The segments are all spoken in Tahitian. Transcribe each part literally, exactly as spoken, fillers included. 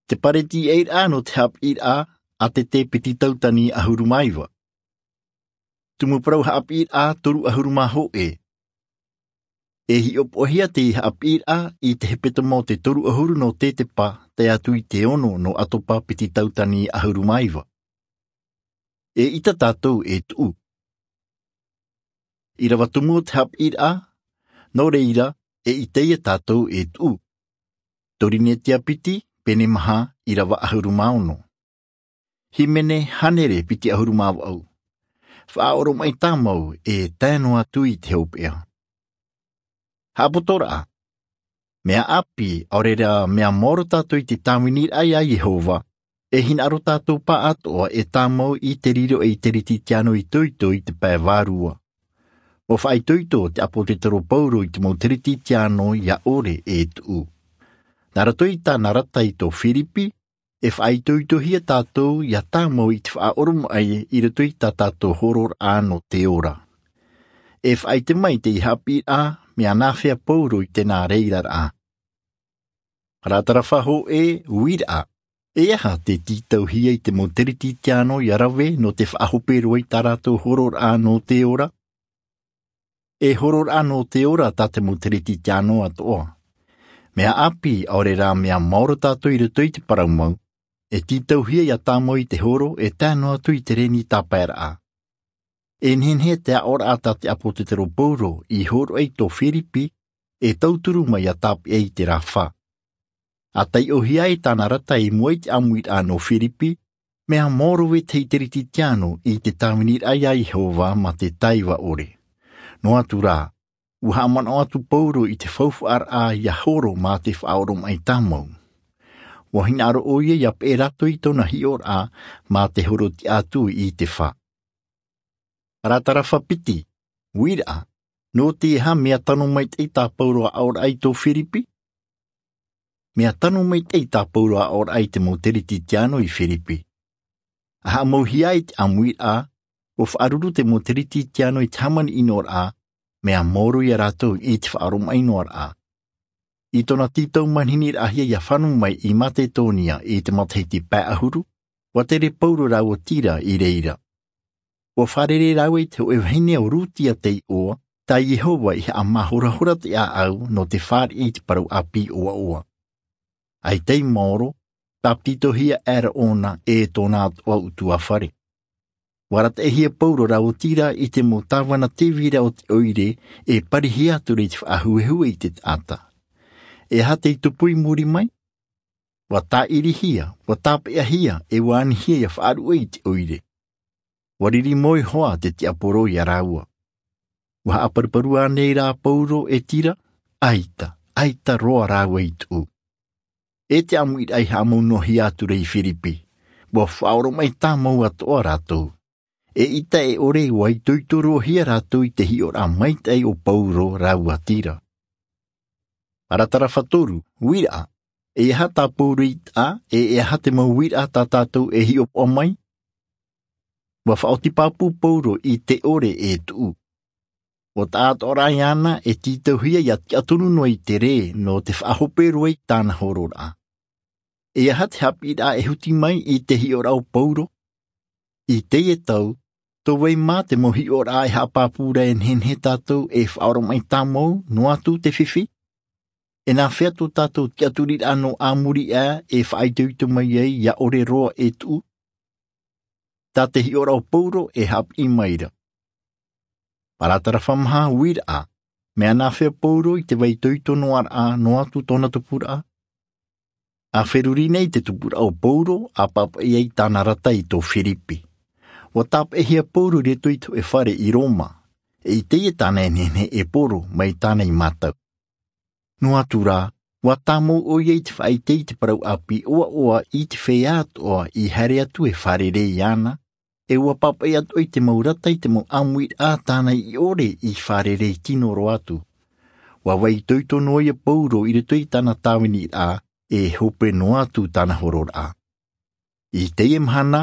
Te pareti ʻairaʻa nō te haʻapiʻiraʻa a te te piti tautani ʻahuru mā iva. Tumu parau haʻapiʻiraʻa toru ʻahuru mā hōʻē. E hiʻopoʻahia te haʻapiʻiraʻa i te hepetoma o te toru ʻahuru nō te te pā tae atu i te ono nō ʻatopa piti tautani ʻahuru mā iva. E ʻita tātou e tuʻu. ʻIrava tumu o te haʻapiʻiraʻa, nō reira, e ʻita ia tātou e tuʻu. Torinetia piti, pene maha, ʻirava ʻahuru mā ono. Hīmene hānere piti ʻahuru mā vaʻu. Faʻaoromaʻi tāmau e tae noa atu i te hopeʻa. Haʻapotoraʻa. Mea ʻāpī, ʻaore rā mea maoro tātou i te tāviniraʻa iā Iehova, e hinaʻaro tātou pāʻātoʻa e tāmau i te riro ei Kerisetiano itoito i te pae vārua. ʻUa faʻaitoito te ʻāpōsetolo Paulo i te mau Kerisetiano ia ʻore e tuʻu. Nā roto i tāna rata i tō Firipi, e faʻaitoitohia tātou ia tāmau i te faʻaoromaʻi i roto i tā tātou hororaʻa nō te ora. E faʻaʻite mai te haʻapiʻiraʻa mea nāfea Paulo i tēnā reiraraʻa. Paratarapa hōʻē, uiraʻa. E aha te tītauhia i te mau Kerisetiano ia rave nō te faʻahope roa i tā rātou hororaʻa nō te ora? E hororaʻa nō te ora tā te mau Kerisetiano atoʻa. Mea ʻāpī, ʻaore rā mea maoro tātou i roto i te parau mau, e tītauhia ia tāmau i te horo e tae noa atu i te reni tāpaeraʻa. E nehenehe te aʻoraʻa tā te ʻāpōsetolo Paulo i hōroʻa i tō Firipi, e tauturu mai ia tāpeʻa i te rā fā. ʻA taiʻohia ai tāna rata i mua i te ʻāmuiraʻa nō Firipi, mea maoro vetahi Kerisetiano i te tāviniraʻa iā Iehova mā te taiva ʻore. Noa atu rā, ʻua haʻamanaʻo atu Paulo i te faufaʻaraʻa ia horo mā te faʻaoromaʻi tāmau. ʻUa hinaʻaro ʻoia ia peʻe rātou i tōna hiʻoraʻa mā te horo tiʻa atu i te fā. Paratarapa piti, uiraʻa. Nō te aha mea tano maitaʻi tā Paulo aʻoraʻa i tō Firipi? Mea tano maitaʻi tā Paulo aʻoraʻa i te mau Kerisetiano i Firipi. ʻA haʻamauhia ai te ʻāmuiraʻa, ʻua faʻaruru te mau Kerisetiano i te hāmani ʻinoraʻa, mea maoro ia rātou i te faʻaoromaʻi noaraʻa. I tōna tītau manihini raʻahia ia fano mai i Maketonia i te matahiti pae ʻahuru, ʻua tere Paulo rāua Tira i reira. ʻUa fārerei rāua i te hōʻē vahine ʻo Rutia tei ʻoa, tā Iehova i haʻamāhorahora te ʻāʻau nō te fāriʻi i te parau ʻāpī ʻoaʻoa. ʻAita i maoro, tāpititohia aʻera ʻōna e tōna atoʻa ʻutuāfare. ʻUa arataʻihia Paulo rāua Tira i te mau tāvana tēvira o te ʻoire e parihia atu ra i te faʻahuehue i te taʻata. E aha tei tupu i muri mai? ʻUa tāʻirihia, ʻua tāpeʻahia, e ʻua anihia ia faʻaruʻe i te ʻoire. ʻUa riri moe hoʻi te tiaporo ia rāua. ʻUa haʻaparuparu ānei rā Paulo e Tira? ʻAita, ʻaita roa rāua i tuʻu. E te ʻāmuiraʻa i haʻamau noa hia atu ra i Firipi, ʻua faʻaoromaʻi tāmau atoʻa rātou. Eʻita e ʻore ʻua itoito roa hia rātou i te hiʻoraʻa maitaʻi o Paulo rāua Tira. Paratarapa toru, uiraʻa. E aha tā Paulo i taʻa, e e aha te mau uiraʻa tā tātou e hiʻopoʻa mai? ʻUa faʻaoti pāpū Paulo i te ʻore e tuʻu. ʻUa taʻatoʻaraʻa iāna e tītauhia ia tiʻa tonu noa i te rē nō te faʻahope roa i tāna hororaʻa. E aha te haʻapiʻiraʻa e huti mai i te hiʻoraʻa o Paulo? I teie tau, tō vai mā te mau hiʻoraʻa e haʻapāpū ra e nehenehe tātou e faʻaoromaʻi tāmau noa atu te fifi? E nāfea tō tātou tiʻaturiraʻa nō ā muri aʻe e faʻaitoito mai ai ia ʻore roa e tuʻu? Tā te hiʻoraʻa o Paulo e haʻapiʻi mai ra. Paratarapa maha, uiraʻa. Mea nāfea Paulo i te vai itoito noaraʻa noa atu tōna tupuraʻa? ʻA feruri nei te tupuraʻa o Paulo, ʻa pāpaʻi ai tāna rata i tō Firipi. ʻUa tāpeʻahia Paulo i roto i te hōʻē fare i Roma. E i teie tāna e nehenehe e poro mai tāna i mātau. Noa atu rā, ʻua tāmau ʻoia i te faʻaʻite i te parau ʻāpī ʻoaʻoa i te feiā atoʻa i haere atu e fārerei iāna, e ʻua pāpaʻi atoʻa i te mau rata i te mau ʻāmuiraʻa tāna i ʻore i fārerei tino roa atu. ʻUa vai itoito noa ia Paulo i roto i tāna tāviniraʻa, e hope noa atu tāna hororaʻa. I teie mahana,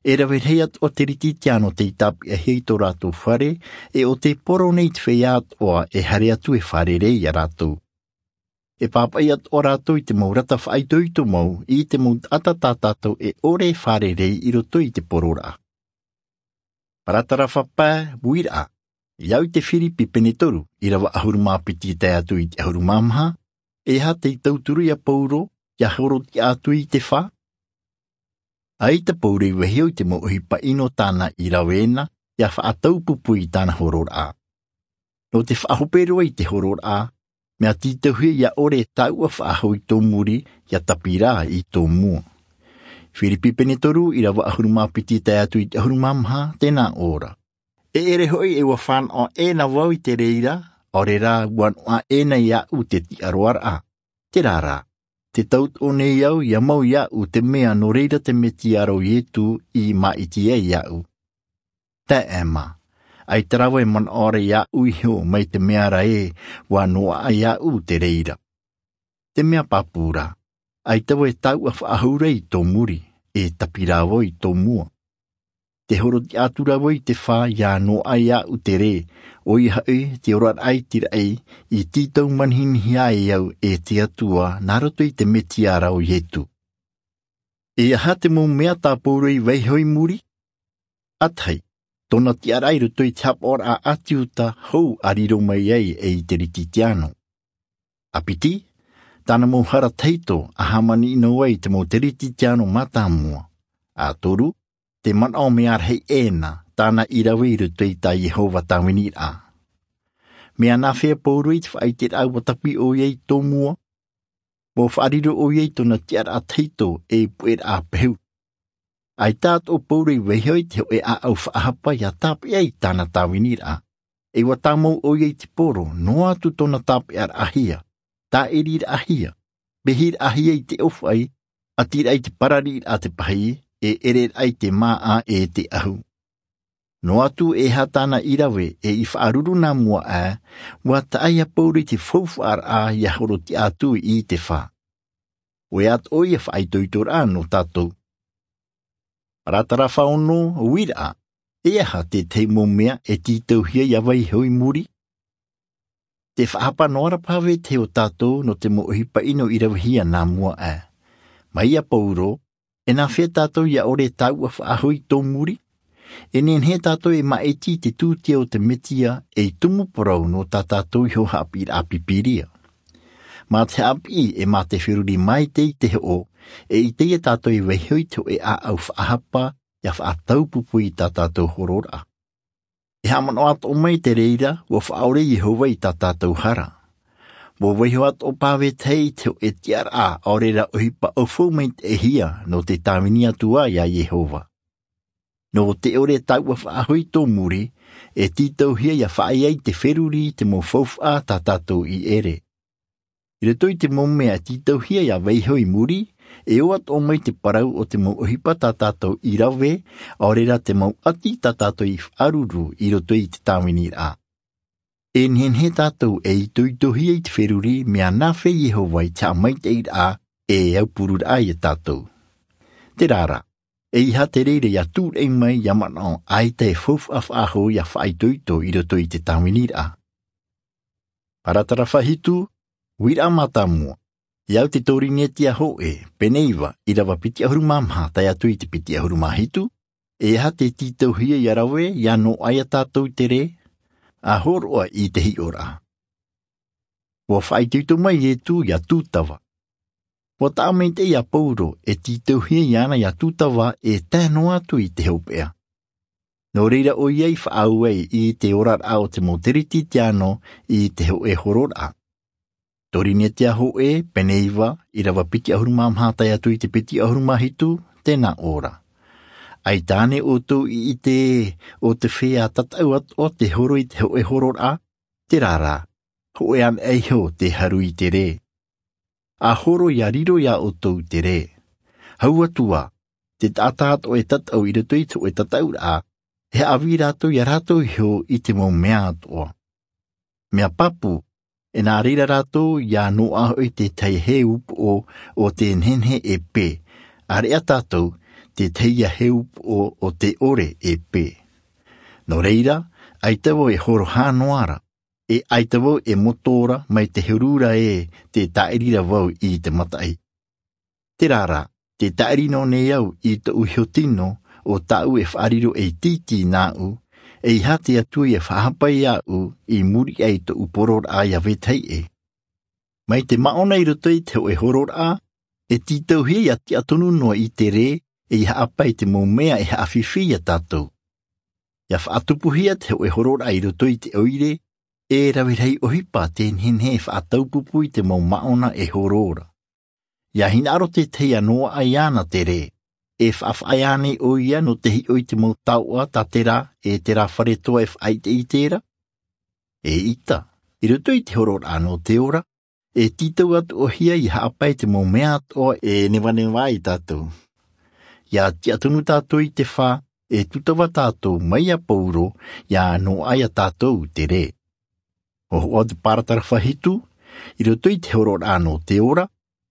e rave rahi atoʻa te Kerisetiano tei tāpeʻahia i tō rātou fare, e ʻo tei poro nei te feiā atoʻa e haere atu e fārerei ia rātou. e pāpaʻi atu ʻo rātou i te mau rata faʻaitoito mau i te mau taʻata tā tātou e ʻore e fārerei i roto i te poroʻraʻa. Paratarafa pae, uiraʻa. I au i te Firipi pene toru, ʻīrava ʻahuru mā piti tae atu i te ʻahuru mā maha, e aha tei tauturu ia Pauro, ia horotiʻa atu i te fā? ʻAita Pauro i vaiho i te mau ʻohipa ʻino tāna i rave na, ia faʻataupupu i tāna horoʻraʻa. Nō te faʻahope roa i te horoʻraʻa, mea tītauhia ia ʻore e tāuʻa faʻahou i tō muri, ia tapirā i tō mua. Firipi pene toru, ʻīrava ʻahuru mā piti tae atu i te ʻahuru mā maha, tē nā ʻō ra. E ʻere hoʻi e ʻua fānaʻo ʻē na vau i te reira, ʻaore rā ʻua noaʻa ʻē na iāʻu te tiʻaroaraʻa. Terā rā, tē tauturu nei au ia mau iāʻu te mea nō reira te Mesia ra ʻo Ietu i māʻiti ai iāʻu. Taeaʻe mā, ʻaita rā vau e manaʻo ra iāʻu iho mai te mea ra ē ʻua noaʻa iāʻu te reira. Te mea pāpū rā, ʻaita vau e tāuʻa faʻahou ra i tō muri, e tapirā vau i tō mua. Tē horotiʻa atu ra vau i te fā ia noaʻa iāʻu te rē, ʻoia hoʻi te oraraʻa i te raʻi, i tītau manihinihi ai au e te Atua nā roto i te Mesia ra ʻo Ietu. E aha te mau mea tā Pauro i vaiho i muri? ʻA tahi, tōna tiʻaraʻa i roto i te hapaʻoraʻa ʻāti Iuta hou a riro mai ai e i te Kerisetiano. ʻA piti, tāna mau hara tahito a hāmani noa ai i te mau Kerisetiano mātāmua. ʻA toru, te manaʻo mea rahi ʻē na tāna i rave i roto i tā Iehova tāviniraʻa. Mea nāfea Pauro i te faʻaʻiteraʻa ʻua tapī ʻoia i tō mua? ʻUa faʻariro ʻoia i tōna tiʻaraʻa tahito ei puʻeraʻa pehu. ʻAita atoʻa Pauro i vaiho i te hōʻē ʻāʻau faʻahapa ia tāpeʻa i tāna tāviniraʻa. E ʻua tāmau ʻoia i te poro, noa atu tōna tāpeʻaraʻahia, tāʻiriraʻahia, pehiraʻahia i te ʻōfaʻi, ʻatiraʻa i te parariraʻa te pahī, e ʻereraʻa i te māʻa e te ʻahu. Noa atu e aha tāna i rave e i faʻaruru nā mua aʻe, ʻua taʻa ia Pauro i te faufaʻaraʻa ia horotiʻa atu i te fā. ʻOia atoʻa ia faʻaitoitoraʻa nō tātou. Paratarafa ono, uiraʻa. E aha te tahi mau mea e tītauhia ia vaiho i muri? Te faʻahapa noa ra paha vetahi o tātou nō te mau ʻohipa ʻino i ravehia nā mua aʻe. Mai ia Pauro, e nāfea tātou ia ʻore e tāuʻa faʻahou i tō muri? E nehenehe tātou e māʻiti i te tūtia o te Mesia ei tumu parau nō tā tātou iho haʻapiʻiraʻa Pīpīria. Mā te haʻapiʻi e mā te feruri maitaʻi i te hoʻo, e ʻite ia tātou e vaiho i te hōʻē ʻāʻau faʻahapa, ia faʻataupupu i tā tātou horoʻaraʻa. E haʻamanaʻo atoʻa mai te reira, ʻua faʻaʻore Iehova i tā tātou hara. ʻUa vaiho atoʻa paha vetahi i te hōʻē tiʻaraʻa ʻaore rā ʻohipa ʻaufau maitaʻihia nō te tāvini atu ā ia Iehova. Nō te ʻore e tāuʻa faʻahou i tō muri, e tītauhia ia faʻaea i te feruri te mau faufaʻa tā tātou i ʻere. I roto i te mau mea e tītauhia ia vaiho i muri, e ʻō atoʻa mai te parau o te mau ʻohipa tā tātou i rave, ʻaore rā te mau ʻati tā tātou i faʻaruru i roto i te tāviniraʻa. E nehenehe tātou e itoitohia i te feruri mea nāfea Iehova i te haʻamaitaʻiraʻa e aupururaʻa ia tātou. Terā rā, e aha te reira ia tūraʻi mai ia manaʻo ʻaita e faufaʻa faʻahou ia faʻaitoito i roto i te tāviniraʻa. Paratarafa hitu, uiraʻa mātāmua. I au te Korinetia hōʻē, pene iva, ʻīrava piti ʻahuru mā maha tae atu i te piti ʻahuru mā hitu, e aha te tītauhia ia rave, ia noaʻa ia tātou te rē, ʻa hōroʻa i te hiʻoraʻa. ʻUa faʻaitoito mai Ietu ia Tūtava. ʻUa taʻa maitaʻi ia Pauro e tītauhia iāna ia Tūtava e tae noa atu i te hopeʻa. Nō reira ʻoia i faʻaau ai i te oraraʻa o te mau Kerisetiano i te hōʻē horoʻaraʻa. Korinetia hōʻē, pene iva, ʻīrava piti ʻahuru mā maha tae atu i te piti ʻahuru mā hitu, tē nā ʻō ra. ʻAita ānei ʻoutou i ʻite ʻo te feiā tataʻu atoʻa te horo i te hōʻē horoʻaraʻa, terā rā, hōʻē anaʻe iho te haru i te rē. ʻA horo ia riro ia ʻoutou te rē. Hau atu ā, te taʻata atoʻa e tataʻu i roto i te hōʻē tataʻuraʻa, e haʻavī rātou ia rātou iho i te mau mea atoʻa. Mea pāpū, e nā reira rātou ia noaʻa hoʻi te tahi hē upoʻo o tē nehenehe e pē, ʻāreʻa tātou, te tahi ia hē upoʻo o tē ʻore e pē. Nō reira, ʻaita vau e horo hā noa ra. E ʻaita vau e moto ra mai te huru ra ē, te tāʻiri ra vau i te mataʻi. Terā rā, te tāʻiri noa nei au i tōʻu iho tino, ʻo tāʻu e faʻariro ei tītī nāʻu, ʻeiaha te Atua ʻia faʻahapa iāʻu i muri aʻe i tōʻu poroʻraʻa ʻia vetahi ʻē. Mai te māʻona i roto i te hōʻē horoʻraʻa, e tītauhia ʻia tiʻa tonu noa i te rē, ʻeiaha ʻapae te mau mea e haʻafifi iā tātou. ʻIa faʻatupuhia te hōʻē horoʻraʻa i roto i te ʻoire, e rave rahi ʻohipa tē nehenehe e faʻataupupu i te mau māʻona e horo ra. ʻIa hinaʻaro te tahi ʻia noaʻa iāna te rē, e faʻafaʻaea nei ʻoia nō te hiʻo i te mau taoʻa tā terā, e terā fare toa e faʻaʻiteʻite ra. ʻEita, i roto i te horoʻraʻa nō te ora, e tītau atoʻa hia ʻia haʻapae te mau mea atoʻa e nevaneva ai tātou. ʻIa tiʻa tonu tātou i te fā, e tūtava tātou mai iā Pauro, ʻia noaʻa iā tātou te rē. ʻO hoʻo te paratarafa hitu, i roto i te horoʻraʻa nō te ora,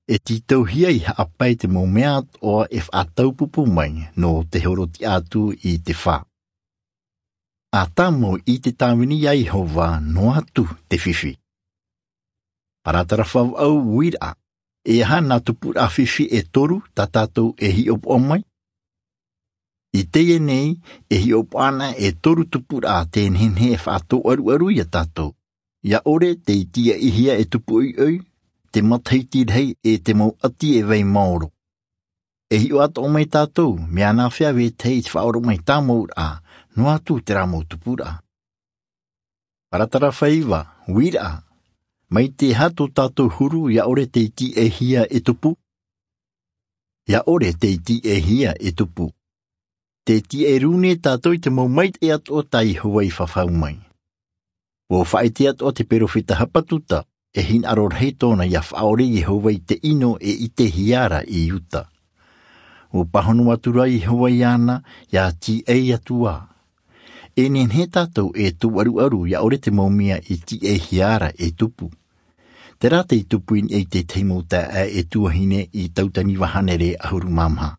e tītauhia ʻia haʻapae te mau mea atoʻa e faʻataupupu mai nō te horotiʻa atu i te fā. ʻA tāmau i te tāvini iā Iehova noa atu te fifi. Paratarafa vaʻu, uiraʻa, e aha nā tupuraʻa fifi e toru tā tātou e hiʻopoʻa mai? I teie nei, e hiʻopoʻa ana e toru tupuraʻa tē nehenehe e faʻatōʻaruʻaru iā tātou. ʻIa ʻore tei tīaʻihia e tupu ʻoiʻoi, te matahiti rahi e te mau ʻati e vai maoro. E hiʻo atoʻa mai tātou, mea nāfea vetahi i te faʻaoromaʻi tāmauraʻa, noa atu terā mau tupuraʻa. Paratarafa iva, uiraʻa, mai te aha tō tātou huru ʻia ʻore tei tīaʻihia e tupu? ʻIa ʻore tei tīaʻihia e tupu. Tē tīaʻi rū nei tātou i te mau maitaʻi atoʻa tā Iehova i fafau mai. ʻUa faʻaʻite atoʻa te perofeta Hapatuta, e hinaʻaro rahi tōna ʻia faʻaʻore Iehova i te ʻino e ʻitehia ra i Iuta. ʻUa pāhono atu ra Iehova iāna, ʻia tīaʻi atu ā. E nehenehe tātou e tōʻaruʻaru ʻia ʻore te mau mea i tīaʻihia ra e tupu. Terā tei tupu i niʻa i te tahi mau taeaʻe e tuahine i Tautani vaʻu hānere ʻahuru mā maha.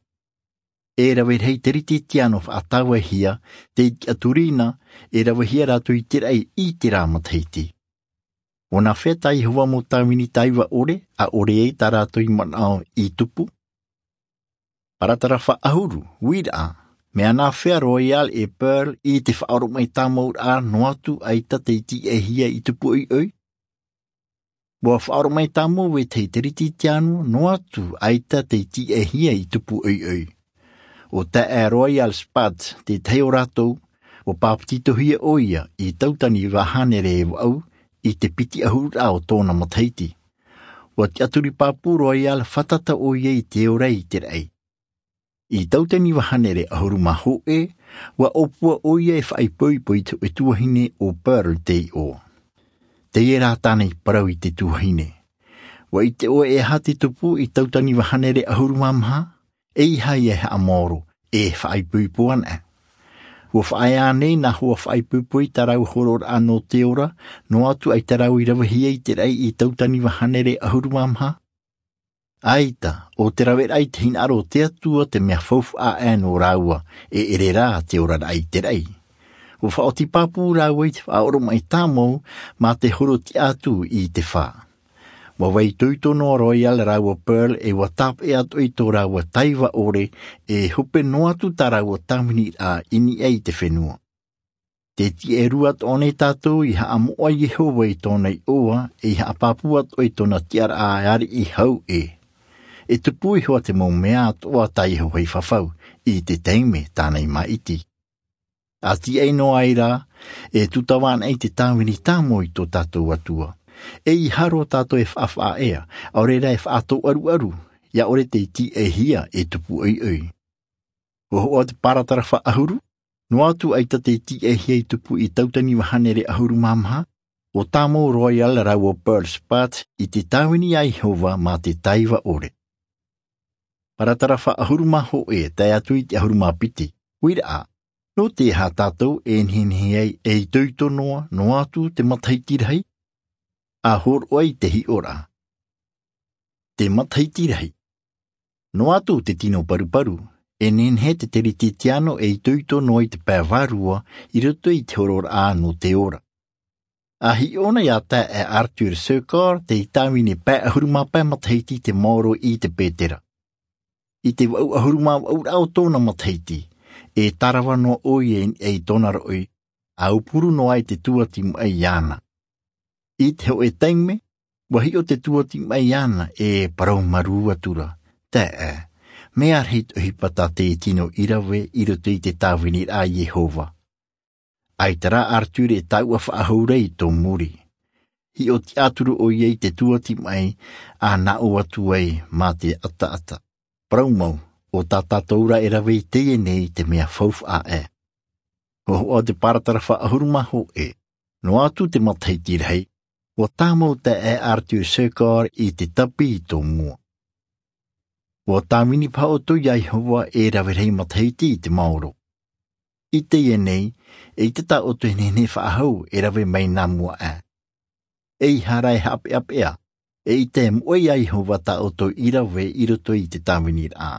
E rave rahi Teretetiāno faʻatāvaihia, tei tiʻaturi na, e ravehia rātou i te raʻi i terā matahiti. ʻUa nāfea tā Iehova mau tāvini taiva ʻore, ʻa ʻore ai tā rātou i manaʻo i tupu? Paratarafa ʻahuru, uiraʻa, mea nāfea Royal e Pearl i te faʻaoromaʻi tāmauraʻa noa atu ʻaita tei tīaʻihia i tupu ʻoiʻoi? ʻUa faʻaoromaʻi tāmau vetahi Teretetiāno noa atu ʻaita tei tīaʻihia i tupu ʻoiʻoi. ʻO taeaʻe Royal Spatz te tahi o rātou, ʻua pāpetitohia ʻoia i Tautani vaʻu hānere e vaʻu i te piti ʻahururaʻa o tōna matahiti. ʻUa tiʻaturi pāpū Royal fātata ʻoia i te ora i te raʻi. I Tautani vaʻu hānere ʻahuru mā hōʻē, ʻua ʻōpua ʻoia e faʻaipoipo i te hōʻē tuahine ʻo Pearl tei ʻō. Teie rā tāna i parau i te tuahine. ʻUa ʻite ʻoe e aha te tupu i Tautani vaʻu hānere ʻahuru mā maha? ʻEiaha ia e haʻamaoro, e faʻaipoipo ana. ʻUa faʻaea nei nā hoa faʻaipoipo i tā rāua horoʻaraʻa nō te ora, noa atu ʻaita rāua i ravehia i te raʻi i Tautani vaʻu hānere ʻahuru mā maha? ʻAita, ʻo te raveraʻa i te hinaʻaro o te Atua te mea faufaʻa aʻe nō rāua, e ʻere rā te oraraʻa i te raʻi. ʻUa faʻaoti pāpū rāua i te faʻaoromaʻi tāmau mā te horotiʻa atu i te fā. ʻUa vai itoito noa Royal rāua Pearl e ʻua tāpeʻa atoʻa i tō rāua taiva ʻore, e hope noa atu tā rāua tāviniraʻa i niʻa i te fenua. Tē tiʻa rū atoʻa nei tātou i haʻamoʻa Iehova i tōna iʻoa, e i haʻapāpū atoʻa i tōna tiʻaraʻa ariʻi hau ē. E tupu iho ā te mau mea atoʻa tā Iehova i fafau, i te taime tāna i maʻiti. ʻA tiʻa noa ai rā, e tūtava anaʻe i te tāvini tāmau i tō tātou Atua. ʻEiaha roa tātou e faʻafaʻaea, ʻaore rā e faʻatōʻaruʻaru, ʻia ʻore tei tīaʻihia e tupu ʻoiʻoi. ʻUa hoʻo te paratarafa ʻahuru, noa atu ʻaita tei tīaʻihia i tupu i Tautani vaʻu hānere ʻahuru mā maha, ʻua tāmau Royal rāua Pearl Spatz i te tāvini a Iehova mā te taiva ʻore. Paratarafa ʻahuru mā hōʻē tae atu i te ʻahuru mā piti, uiraʻa, nō te aha tātou e nehenehe ai e itoito noa, noa atu te matahiti rahi? ʻA hōroʻa i te hiʻoraʻa. Te matahiti rahi. Noa atu te tino paruparu, e nehenehe te Teretetiāno e itoito noa i te pae vārua i roto i te horoʻaraʻa nō te ora. A hiʻo na iā taeaʻe Arthur Secor te tāvini pae ʻahuru mā pae matahiti i te maoro i te Petera. I te vaʻu ʻahuru mā vaʻu rā o tōna matahiti, e tārava noa ʻoia i niʻa i tōna roʻi, a aupuru noa i te tuati maʻi iāna. I te hōʻē taime, ʻua hiʻo te tuati maʻi iāna e parau marū atu ra, taeaʻe, mea rahi te ʻohipa tā te tino i rave i roto i te tāviniraʻa a Iehova. ʻAita rā Arthur e taʻua faʻahou ra i tō muri. Hiʻo tiʻaturi ʻoia i te tuati maʻi, a nā ʻō atu ai mā te ʻataʻata. Parau mau, ʻo tā tātou rā e rave i teie nei te mea faufaʻa ē. ʻUa hoʻo te paratarafa ʻahuru mā hōʻē, noa atu te matahiti rahi, ʻua tāmau taeaʻe Arthur Secor i te tapi i tō mua. ʻUa tāvini paha ʻoutou iā Iehova e rave rahi matahiti i te maoro. I teie nei, eʻita tā ʻoutou e nehenehe faʻahou e rave mai nā mua ē. ʻEiaha rā e haʻapeʻapeʻa, eʻita e moʻe iā Iehova tā ʻoutou i rave i roto i te tāviniraʻa.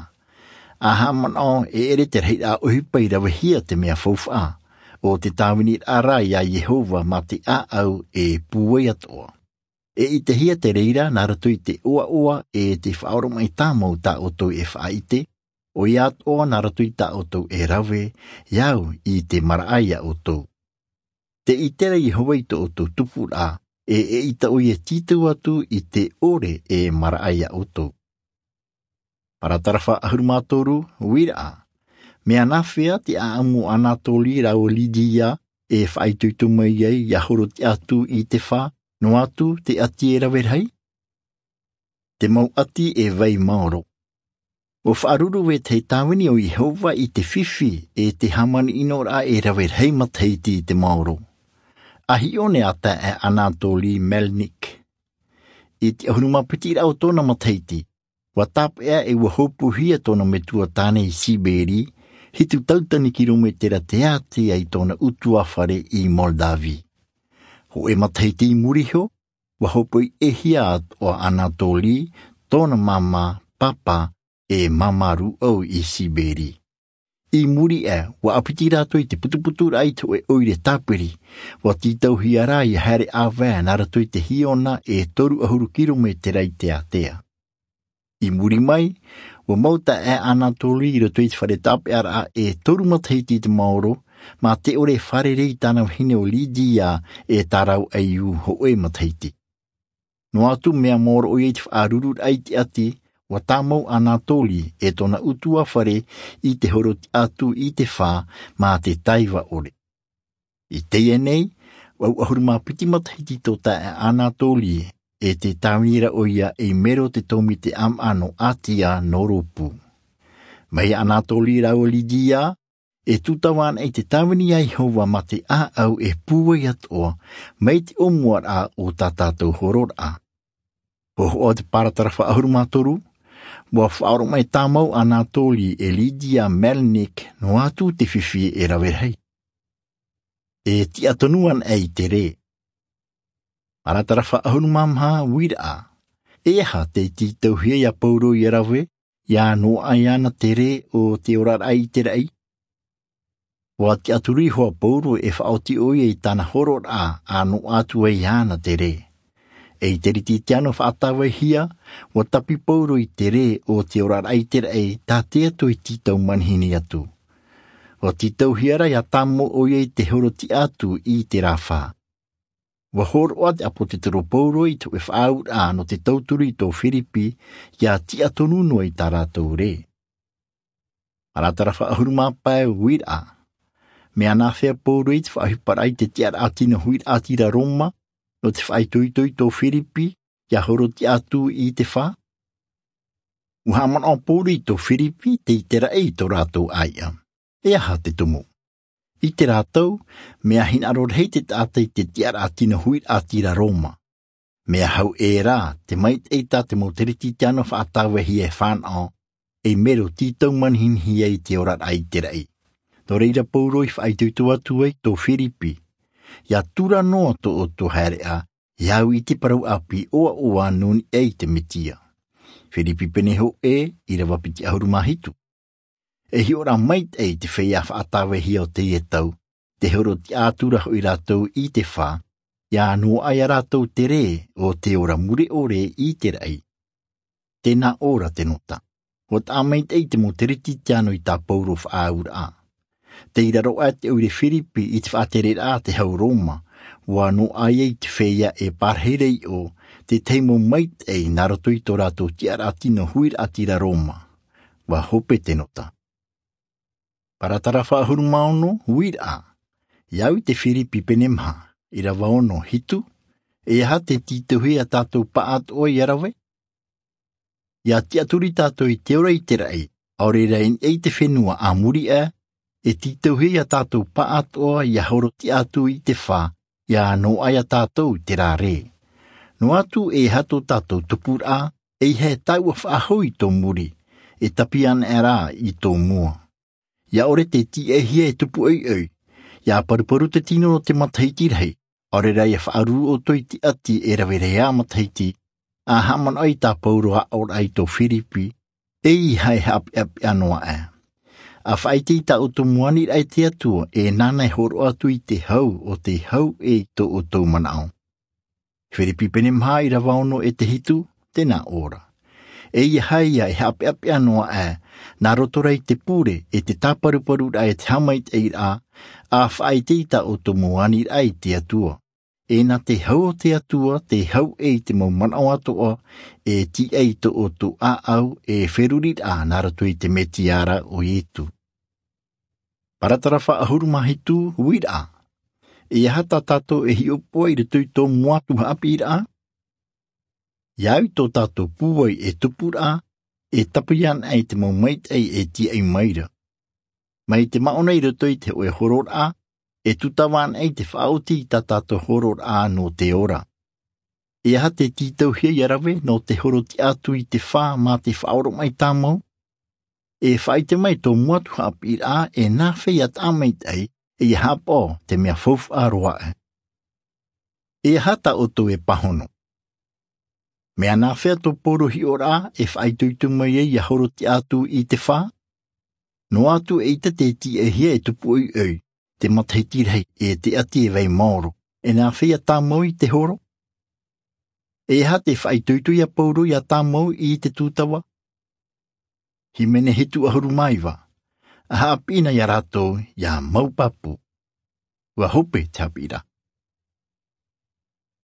A haʻamanaʻo e ʻere te rahiraʻa ʻohipa i ravehia te mea faufaʻa, ʻo te tāviniraʻa rā iā Iehova mā te ʻāʻau e pūai atoʻa. E ʻitehia te reira nā roto i te ʻoaʻoa e te faʻaoromaʻi tāmau tā ʻoutou e faʻaʻite, ʻoia atoʻa nā roto i tā ʻoutou e rave, e au i te maraʻa iā ʻoutou. Tē ʻite ra Iehova i tō ʻoutou tupuraʻa, e eʻita ʻoia e tītau atu i te ʻore e maraʻa iā ʻoutou. Paratarafa ʻahuru mā toru, uiraʻa. Mea nāfea te ʻāʻamu o Anatoli rāua Lidia e faʻaitoito mai ai ʻia horotiʻa atu i te fā, noa atu te ʻati e rave rahi? Te mau ʻati e vai maoro. ʻUa faʻaruru vetahi tāvini o Iehova i te fifi e te hāmani ʻinoraʻa e rave rahi matahiti i te maoro. A hiʻo na iā taeaʻe Anatoli Melnik. I te ʻahuru mā piti rā o tōna matahiti, ʻua tāpeʻa e ʻua hopuhia tōna metua tāne i Siberi, hitu tauatini kirometera te ātea i tōna ʻutuāfare i Moldavie. Hōʻē matahiti i muri iho, ʻua hopoiʻehia atoʻa Anatoli, tōna māmā, pāpā, e māmā rūʻau i Siberi. I muri aʻe, ʻua ʻāpiti rātou i te putuputuraʻa i te hōʻē ʻoire tāpiri, ʻua tītauhia rā ʻia haere ʻāvae nā roto i te hiona e toru ʻahuru kirometera i te ātea. I muri mai, ʻua mau taeaʻe Anatoli i roto i te fare tāpeʻaraʻa e toru matahiti i te maoro, mā te ʻore e fārerei i tāna vahine ʻo Lidia e tā rāua ʻaiū hōʻē matahiti. Noa atu mea maoro ʻoia i te faʻarururaʻa i te ʻati, ʻua tāmau Anatoli e tōna ʻutuāfare i te horotiʻa atu i te fā mā te taiva ʻore. I teie nei, vaʻu ʻahuru mā piti matahiti tō taeaʻe Anatoli, e tē tāvini ra ʻoia ei mero te tōmite ʻāmaʻa nō Atia nō rōpū. Mai iā Anatoli rāua Lidia, e tūtava anaʻe te tāvini a Iehova mā te ʻāʻau e pūai atoʻa, mai te ʻōmuaraʻa o tā tātou hororaʻa. Hōhoʻa o te paratarafa ʻahuru mā toru, ʻua faʻaoromaʻi tāmau Anatoli e Lidia Melnik noa atu te fifi e rave rahi. E tiʻa tonu anaʻe i te rē. Paratarafa ʻahuru mā maha, uiraʻa. E aha tei tītauhia iā Paulo ʻia rave, ʻia noaʻa iāna te rē o te oraraʻa i te raʻi? ʻUa tiʻaturi iho ā Paulo e faʻaoti ʻoia i tāna hororaʻa a noaʻa atu ai iāna te rē. Ei Teretitiano faʻatāvaihia, ʻua tapi Paulo i te rē o te oraraʻa i te raʻi, tā te Atua i tītau manihini atu. ʻUa tītauhia rā ʻia tāmau ʻoia i te horotiʻa atu i te rā fā. ʻUa hōroʻa te ʻāpōsetolo Paulo i te hōʻē faʻaauraʻa nō te tauturu i tō Firipi, ʻia tiʻa tonu noa i tā rātou rē. Paratarafa ʻahuru mā pae, uiraʻa. Mea nāfea Paulo i te faʻaʻohiparaʻa i te tiʻaraʻa tino huiraʻatira Roma, nō te faʻaitoito i tō Firipi, ʻia horotiʻa atu i te fā? ʻUa haʻamanaʻo Paulo i tō Firipi, tē ʻite ra ʻē i tō rātou ʻāiʻa. E aha te tumu? ʻIte rātou, mea hinaʻaro rahi te taʻata i te tiʻaraʻa tino huiraʻatira Roma. Mea hau ʻē rā te maitaʻi tā te mau Teretitiano faʻatāvaihia e fānaʻo, ei mero tītau manihini ai i te oraraʻa i te raʻi. Nō reira Paulo i faʻaitoito atu ai tō Firipi. ʻIa tura noa tō ʻoutou haereʻa, ʻia au i te parau ʻāpī ʻoaʻoa nō niʻa i te Mesia. Firipi pene hōʻē, ʻīrava piti ʻahuru mā hitu. E hiʻo rā maitaʻi te feiā faʻatāvaihia o teie tau, tē horotiʻa atu ra hoʻi rātou i te fā, ia noaʻa ia rātou te rē o te ora mure ʻore i te raʻi. Tēnā ʻō ra te nota. Ua taʻa maitaʻi te mau teretitiano i tā Paulo faʻaauraʻa. Tei raro aʻe te ʻoire Firipi i te faʻatereraʻa a te hau Roma, ua noaʻa ia i te feiā e pārahi ra iʻo, te tahi mau maitaʻi nā roto i tō rātou tiʻaraʻa tino huiraʻatira Roma. Ua hope te nota. Paratara faʻahuru mā ono, huiraʻa. Ia au i te Firipi pene maha, ʻīrava ono hitu, e aha te tītauhia ia tātou pāʻātoʻa ia rave? Ia tiʻaturi tātou i te ora i te raʻi, ʻaore rā i niʻa i te fenua a muri aʻe, e tītauhia ia tātou pāʻātoʻa ia horo tiʻa atu i te fā, ia noaʻa ia tātou i te rā rē. Noa atu e aha tō tātou tupuraʻa, ʻeiaha e taua faʻahou i tō muri, e tāpī anaʻe rā i tō mua. Ia ʻore te tīaʻihia e tupu ʻoiʻoi, ia paruparu te tino o te matahiti rahi, ʻaore rā ia faʻaruru ʻoutou i te ʻati e rave ra ā matahiti, a haʻamanaʻo i tā Paulo aʻoraʻa i tō Firipi, ʻeiaha e haʻapeʻapeʻa noa aʻe. A faʻaʻite i tā ʻoutou mau aniraʻa i te Atua, e nāna e hōroʻa atu i te hau o te hau ʻē i tō ʻoutou manaʻo. Firipi pene maha, ʻīrava ono e te hitu, tēnā ʻō ra. ʻEiaha ia e haʻapeʻapeʻa noa aʻe, nā roto rā i te pure, e te tāparuparuraʻa, e te haʻamaitaʻiraʻa, a faʻaʻite i tā ʻoutou mau aniraʻa i te Atua. E nā te hau o te Atua, te hau ʻē i te mau manaʻo atoʻa, e tīaʻi i tō ʻoutou ʻāʻau, e feruriraʻa nā roto i te Mesia ra ʻo Iesu. Paratara faʻahuru mā hitu, huiraʻa. E aha tā tātou e hiʻopoʻa i roto i tō mua atu haʻapiʻiraʻa? Ia au i tō tātou pūai e tupuraʻa, e tāpī anaʻe i te mau maitaʻi e tīaʻi mai ra. Mai te māʻona i roto i te hōʻē hororaʻa, e tūtava anaʻe i te faʻaoti i tā tātou hororaʻa nō te ora. E aha te tītauhia ia rave nō te horo tiʻa atu i te fā mā te faʻaoromaʻi tāmau? E faʻaʻite mai tō mua atu haʻapiʻiraʻa, e nāfea ia taʻa maitaʻi, e ia haʻapaʻo te mea faufaʻa roa aʻe. E aha tā ʻoutou e pāhono? Mea nāfea tō Paulo hiʻoraʻa e faʻaitoito mai ai ia horo tiʻa atu i te fā? Noa atu eʻita te tīaʻihia e tupu ʻoiʻoi, te matahiti rahi, e te ʻati e vai maoro, e nāfea ia tāmau i te horo? E aha te faʻaitoito ia Paulo ia tāmau i te tūtava? Hīmene hitu ʻahuru mā iva. A haʻapiʻi na ia rātou ia mau pāpū. Ua hope te haʻapiʻiraʻa.